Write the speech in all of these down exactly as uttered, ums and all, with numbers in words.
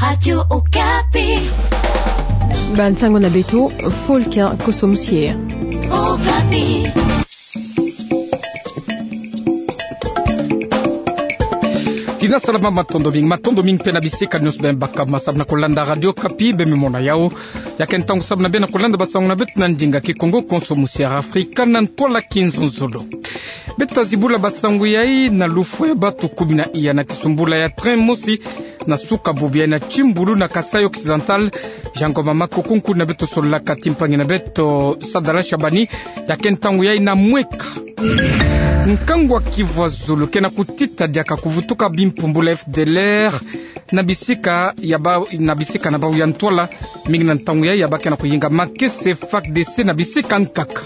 Radio Okapi. Bansango na beto, Fulkin Koso Musier. Okapi. Tina salama, matondo mingi, matondo mingi mpe na bisika nyonso beno baka ma samu na kolanda Radio Okapi, beno me mona yawu. Ya ke ntangu samu na beno na kolanda bansango na beto na ndinga Kikongo, Koso Musier Afrika, na ntwala Kinzonzolo. Beto ta zibula bansango yayi na lufwa ya bantu kumi na iya na kisumbula ya train mosi na suka bubu yayi na Kimbulu na Kasaï Occidental. Jean Ngoma Makoko, nkundi na beto, sololaka ti mpangi na beto Sadala Shabani, ya ke ntangu yayi na mweka. Nkangu wa Kivu Zulu ke na kutita diaka kuvutuka bimpumbulu ya F D L R na bisika ya ba-, na bisika na bawu ya ntwala, mingi na ntangu yayi ya ba ke na kuyinga makesa ya F A R D C na bisika nkaka.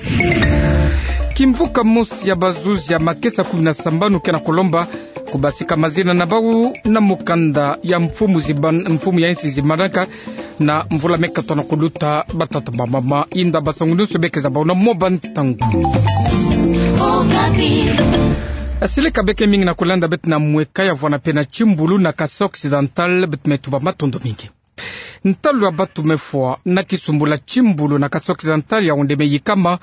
Kimvuka mosi ya bazuzi ya makesa kumi na sambanu ke na kulomba kubasika mazina na bawu na mukanda ya mfumu ziban-, mfumu ya insi zimbandaka na mvula me katono kuluta. Batata, bamama, inda bansangu nyonso beke za bawu na mwa bantangu. Asileka beke mingi na kulanda beto na mweka ya vwanda mpe na Kimbulu na Kasaï Occidental, beto me tuba matondo mingi. Ntalu ya bantu me fwa na kisumbula Kimbulu na Kasaï Occidental ya onde me yikama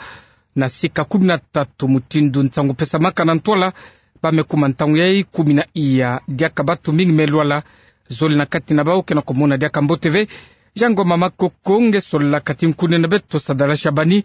na sika kumi na tatu, mutindu nsangu pesamaka na ntwala. Ba me kuma ntangu yayi kumi na iya diaka bantu mingi me lwala, zole na kati na bawu ke na kumona diaka mbote ve. Jean Ngoma Makoko, nge sololaka ti nkundi na beto Sadala Shabani,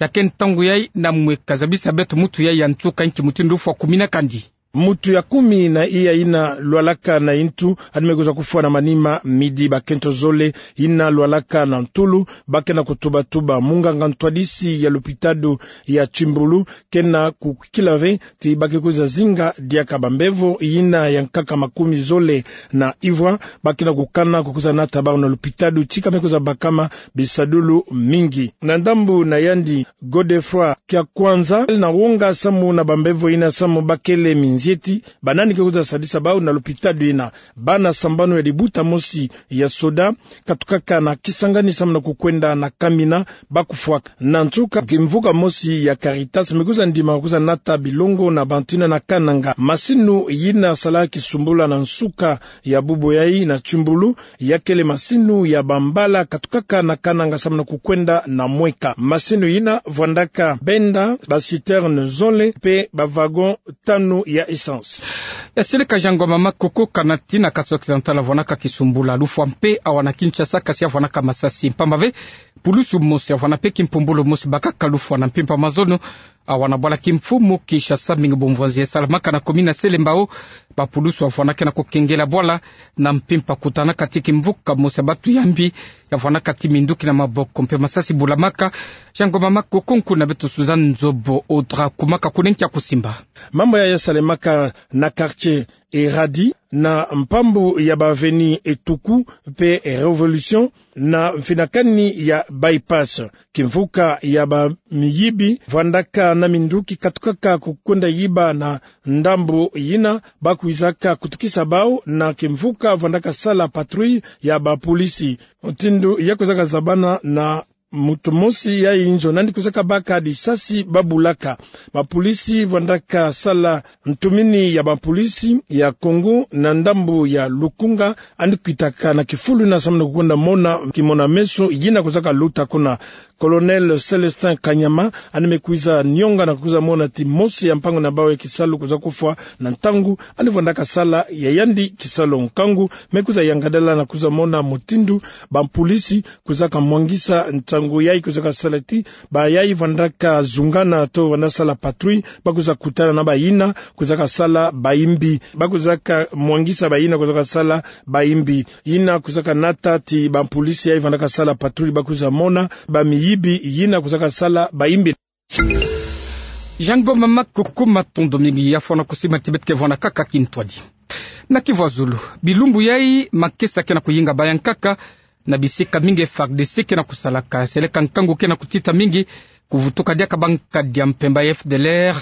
ya ke ntangu yayi na mweka, zabisa beto mutu yayi ya nsuka nki mutindu fwa kumi na kandi. Mutu ya kumi na iya yina lwalaka na yintu, yandi me kwiza kufwa na manima midi. Bakento zole yina lwalaka na ntulu ba ke na kutubatuba munganga ntwadisi ya lopitalo ya Kimbulu, ke na kukila ve ti ba ke kwiza zinga diaka bambevo yina ya nkaka makumi zole na ivwa, ba ke na kukana kukwiza nata bawu na lopitalo, tika me kwiza bakama bisadulu mingi. Na ndambu na yandi, Godefroid Kiakwanza, na wonga samu na bambevo yina samu bakele minzieti, banani ke kwiza sadisa bawu na lopitalo yina. Bana sambanu ya libuta mosi ya soda katukaka na Kisangani samu na kukwenda na Kamina ba kufwaka. Na nsuka, kimvuka mosi ya Caritas me kwiza ndima kwiza nata bilongo na bantu yina na Kananga. Masinu yina sala kisumbula na nsuka ya bubu yayi na Kimbulu, ya kele masinu ya bambala katukaka na Kananga samu na kukwenda na mweka. Masinu yina vwandaka benda baciterne zole mpe bawagon tanu ya essence. Asileka Jean Ngoma Makoko. Kana ti na Kasaï Occidental vwandaka kisumbula, lufwa mpe awa na Kinshasa, kasi ya vwandaka masasi mpamba ve pulusu mosi ya vwanda mpe kimpumbulu mosi bakaka lufwa na mpimpa mazono awa na bwala kimfumu Kinshasa, mingi bumvwanzi ya salamaka na commune ya Selembao. Bapulusu ya vwanda ke na kukengela bwala na mpimpa kutanaka ti kimvuka mosi ya bantu ya mbi ya vwandaka ti minduki na maboko mpe masasi bulamaka. Jean Ngoma Makoko. Nkundi na beto Suzanne Nzobo Audra kumaka kuna nkia kusimba. Mambu yayi ya salemaka na quartier Eradi, na mpambu ya ba avenue Etuku mpe Révolution, na mfinakani ya Bypass. Kimvuka ya bamiyibi vwandaka na minduki katukaka kukwenda yiba na ndambu yina, ba kwizaka kutukisa bau na kimvuka vwandaka sala patrouille ya bapolisi. Mutindu ya kwizaka zabana na mutu mosi ya inzo nandi kwizaka baka lisasi ba bulaka. Bapolisi vwandaka sala ntumini ya bapolisi ya Congo na ndambu ya Lukunga, yandi kwitaka na kifulu yina samu na kukwenda mona kimona-meso yina kwizaka luta kuna. Colonel Célestin Kanyama, yandi me kwiza nionga na kwiza mona ti mosi ya mpangu na bau ya kisalu kwiza kufwa na ntangu yandi vwandaka sala ya yandi kisalu. Nkangu me kwiza yangadala na kwiza mona mutindu bapolisi kwizaka mwangisa ntangu yayi kwizaka sala ti bayayi vwandaka zungana to vwanda sala patrouille, ba kwiza kutana na bayina kwizaka sala bayimbi, ba kwizaka mwangisa bayina kwizaka sala bayimbi. Yina kwizaka nata ti bapolisi yayi vwandaka sala patrouille ba kwiza mona bamiyibi yina kwizaka sala bayimbi. Jean Ngoma Makoko, matondo mingi. Ya fwana kusima ti beto ke vwanda kaka kintwadi. Na Kivu ya Zulu, bilumbu yayi makesa ke na kuyinga baya nkaka na bisika mingi F A R D C ke na kusalaka. Seleka nkangu ke na kutita mingi, kuvutuka diaka bankadi ya mpemba ya F D L R,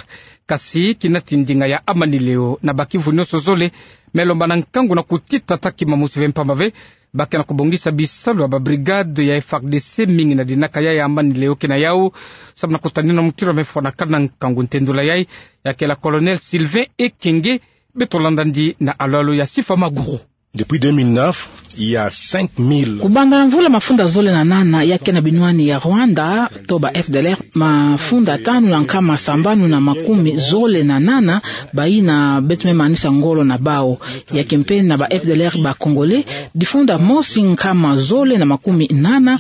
kasi kina ti ndinga ya Amani Leo na Bas-Kivu nionso zole me lomba na nkangu na kutita taki mamusi ve mpamba ve ba ke na kubongisa bisalu ya babrigade ya F A R D C mingi na dinaka ya ya Amani Leo ke na yau, samu na kutanina mutilu me fwanaka na nkangu. Ntendula yayi ya kela Colonel Sylvain Ekenge. Beto landa ndi na alo-alo ya Sifa Maguru. Depuis deux mille neuf, Kubanda na mvula mafunda zole na nana ya ke na binwani ya Rwanda, to ba F D L R, mafunda tanu na nkama sambanu na makumi zole na nana, bayina beto me manisa ngolo na bau. Ya ke mpe na ba F D L R ba Congolais, difunda mosi nkama zole na makumi nana,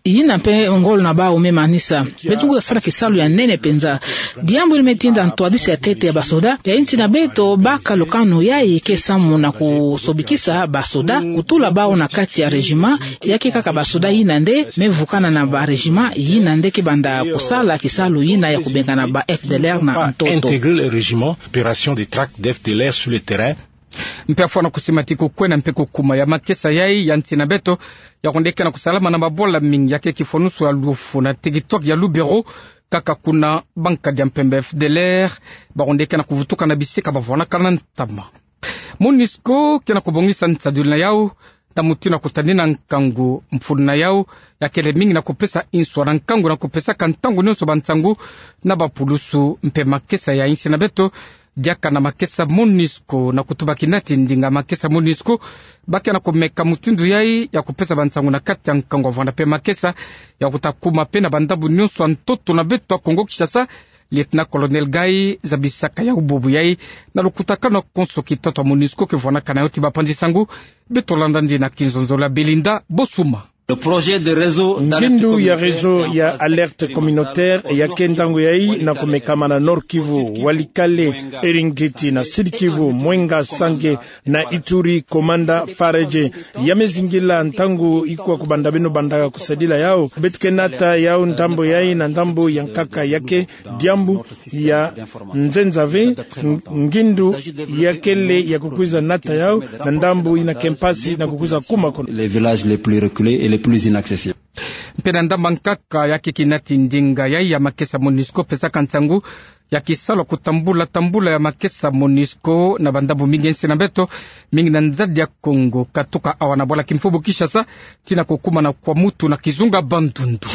yina mpe ngolo na bau me manisa. Beto kuza sala kisalu ya nene penza. Diambu yina me tinda ntwadisi ya ntete ya basoda ya insi na beto baka lukanu yayi ke samu na kusobikisa basoda kutula bau na kati ya régiment, ya ke kaka basoda yina nde me vukana na ba régiment yina nde ke banda kusala kisalu yina ya kubengana ba F D L R na ntoto. Mpe fwana kusimati kukwena mpe kukuma ya makesa yayi ya nsi na beto, ya kunde ke na kusalama na mabola mingi ya ke kifwanusu ya lufu na TikTok ya Lubero, kaka kuna bankadi ya mpemba F D L R ba kunde ke na kuvutuka na bisika ba vwanakana ntama. MONUSCO ke na kubongisa nsaduli na yau na mutindu ya kutanina nkangu. Mfunu na yau ya kele mingi na kupesa inswa na nkangu na kupesaka ntangu nionso bansangu na bapulusu mpe makesa ya insi na beto, diaka na makesa MONUSCO. Na kutuba kinati ndinga makesa MONUSCO, ba ke na kumeka mutindu yayi ya kupesa bansangu na kati ya nkangu ya vwanda mpe makesa, ya kuta kuma mpe na bandambu nionso ya ntoto na beto ya Kongo Kinshasa. Lieutenant-colonel Gayi zabisaka yau bubu yayi na lukutakanu ya konso kitoto ya MONUSCO ke vwanakana yau ti bapanzi-nsangu. Beto landa ndina kinzonzolo ya Belinda Bosuma. Ngindu ya réseau ya alerte communautaire ya ke ntangu yayi na kumekama na Nord-Kivu, Walikale, Eringeti, na Sud-Kivu, Mwenga, Sange, na Ituri, Komanda, Fareje. Ya me zingila ntangu ikwa kubanda beno bandaka kusadila yau. Beto ke nata yau ndambu yayi na ndambu ya nkaka, ya ke diambu ya nzenza ve. Ng-, ngindu ya kele ya kukwiza nata yau na ndambu yina ke mpasi na kukwiza kuma kono. Mpe na ndambu ya nkaka ya ke kinati ndinga yayi ya makesa MONUSCO pesaka nsangu ya kisalu ya kutambula-tambula ya makesa MONUSCO na bandambu mingi ya insi na beto, mingi na nzadi ya Kongo, katuka awa na bwala kimfubu Kinshasa, tii na kukuma na Kwamouth na kizunga Bandundu.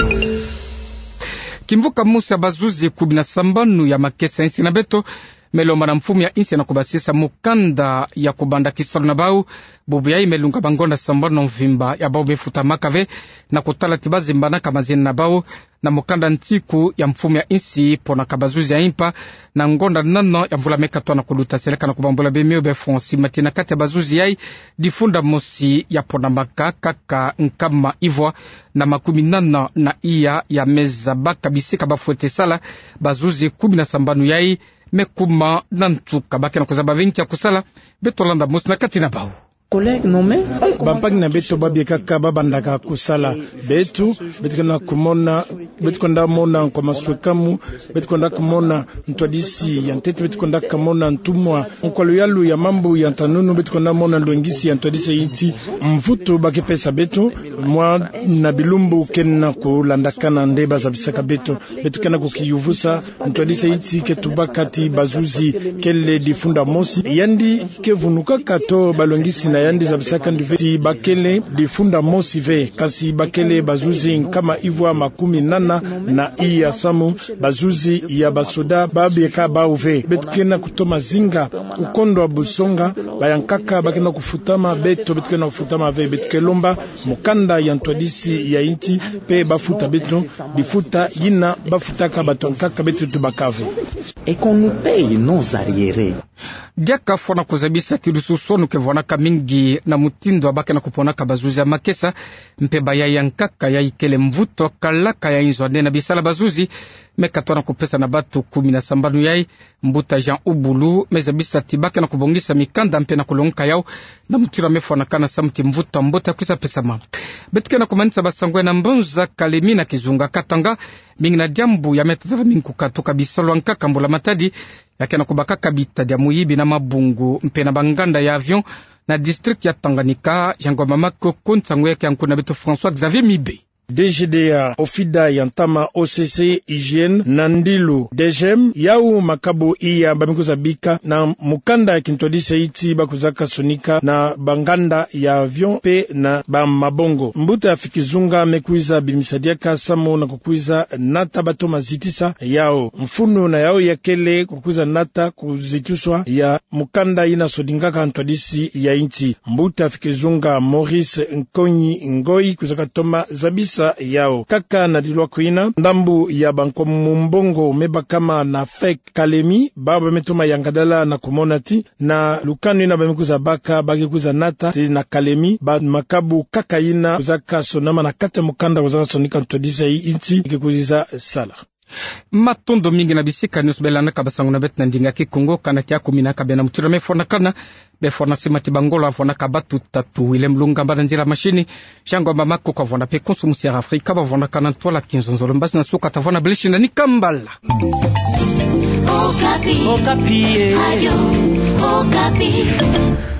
Kimvuka mosi ya bazuzi kumi na sambanu ya makesa ya insi na beto me lomba na mfumu ya insi na kubasisa mukanda ya kubanda kisalu na bau. Bubu yayi me lunga bangonda sambanu na mvimba, ya bau me futamaka ve, na kutala ti ba zembanaka mazina na bau na mukanda nsiku ya mfumu ya insi ponaka bazuzi ya impa na ngonda nana ya mvula me katwa na kuluta. Seleka na kubambula bemio be Francis Mati, na kati ya bazuzi yayi, difunda mosi ya ponamaka kaka nkama ivwa na makumi nana na iya ya me zabaka bisika ba fwete sala. Bazuzi kumi na sambanu yayi me kuma na nsuka, ba ke na kuzaba ve nki ya kusala. Beto landa mosi na kati na bau. Bampangi na beto ba biekaka ba bandaka kusala. Beto, beto ke na kumona, beto kwenda mona nkwa maswekamu, beto kwenda kumona ntwadisi ya ntete, beto kwenda kumona ntumwa. Nkwa luyalu ya mambu ya ntanunu, beto kwenda mona lwengisi ya ntwadisi ya insi. Mvutu ba ke pesa beto, mwa na bilumbu ke na kulandakana nde ba zabisaka beto. Beto ke na kukiyuvusa, ntwadisi ya insi ke tubaka ti bazuzi kele difunda mosi. Yandi ke vunukaka to balongisi na yandi zabisaka nduve ti ba kele difunda mosi ve, kasi ba kele bazuzi nkama ivwa makumi nana na iya samu, bazuzi ya basoda ba bieka bau ve. Beto ke na kutoma zinga, kukondwa busonga, bayankaka ba ke na kufutama, beto, beto ke na kufutama ve. Beto ke lomba mukanda ya ntwadisi ya insi, mpe ba futa beto, difuta yina ba futaka bato ya nkaka beto tubaka ve. Et qu'on nous paye nos arriérés. Diaka fwana kuzabisa ti lususonu ke vwanaka mingi na mutindu wa ba ke na kuponaka bazuzi ya makesa, mpe ba yayi ya nkaka yayi kele mvutu wa kalaka ya inzo ane na bisala bazuzi, me katwa na kupesa na bato kumi na sambanu yayi. Mbuta Jean Ubulu me zabisa ti ba ke na kubongisa mikanda mpe na kulongoka yau na mutindu wa me fwanakana samu ti mvutu wa mbote ya kwiza pesama. Beto ke na kumanisa basango ya na mbanza Kalemi na kizunga Katanga, mingi na diambu ya me tazala mingi kukatuka bisalu ya nkaka mbula matadi, ya ke na kubakaka bitadi ya muyibi na mabungu mpe na banganda ya avion na district ya Tanganyika. Yango mama koko nsangu ya ke ya nkuna beto François Xavier Mibe. D G D A, OFIDA ya ntama O C C, hygiène, na ndilu D G M, yau makabu iya bamekuza bika na mukanda ya kintwadisi ya inti bakuzaka sonika na banganda ya avion pe na bamabongo. Mbuta Fikizunga mekwiza bimisa diaka samu na kukwiza nata bato mazitisa yau. Mfunu na yau ya kele kukwiza nata kuzitiswa ya mukanda ina sodingaka ntwadisi ya inti. Mbuta Fikizunga Maurice Nkonyi Ngoyi kwizaka toma zabisa yau. Kaka na dilwako ina, ndambu ya bankomu mbongo mebakama na fek Kalemi, baba metoma yangadala na kumona ti na lukanu ina bamekwiza baka, bakekwiza nata ti na Kalemi, ba makabu kaka ina kwizaka sonama na kati ya mukanda kwizaka sonika ntwadisi ya inti, kekwiza sala. Matondo mingi na bisika nyonso belandaka basango na beto na ndinga Kikongo, kana kiaku mina ka bena mutira mefwanakana, befwana sima ti bangolo avwanaka batu tatu, Willem Lunga mbana nzila mashini, Jean Ngomba Makuku avwana pe konso musi ya Afrika, bavwanakana ntwala kinzonzolo, mbasi na suka tavwana beleshi na ni kambala. Okapi. Okapi, eh. Radio Okapi.